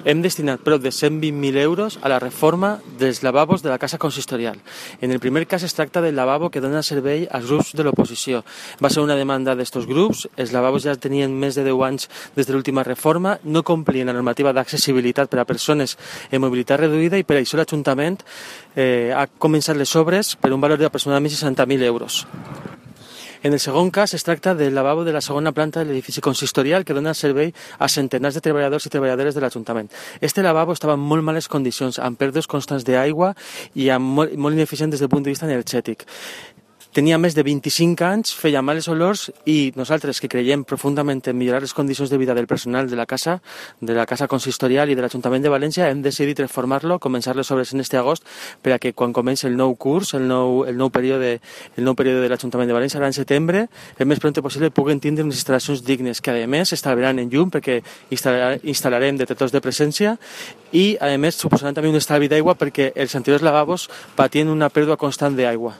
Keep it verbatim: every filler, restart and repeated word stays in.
hem destinat prop de cent vint mil euros a la reforma dels lavabos de la casa consistorial. En el primer cas es tracta del lavabo que dona servei als grups de l'oposició. Va ser una demanda d'estos grups, els lavabos ja tenien més de deu anys des de l'última reforma, no complien la normativa d'accessibilitat per a persones amb mobilitat reduïda i per això l'Ajuntament eh, ha començat les obres per un valor d'aproximadament seixanta mil euros. En el segon cas es tracta del lavabo de la segona planta de l'edifici consistorial que dona servei a centenars de treballadors i treballadores de l'Ajuntament. Este lavabo estava en molt males condicions, amb pèrdues constants d'aigua i amb molt, molt ineficient des del punt de vista energètic. Tenia més de vint-i-cinc anys, feia males olors i nosaltres, que creiem profundament en millorar les condicions de vida del personal de la casa, de la casa consistorial i de l'Ajuntament de València, hem decidit reformar-lo, començar les obres en este agost, per a que quan comenci el nou curs, el nou, el nou període, el nou període de l'Ajuntament de València, l'any setembre, el més pront possible puguen tindre unes instal·lacions dignes, que a més estalviaran en llum, perquè instal·larem detectors de presència i, a més, suposaran també un estalvi d'aigua perquè els anteriors lavabos patien una pèrdua constant d'aigua.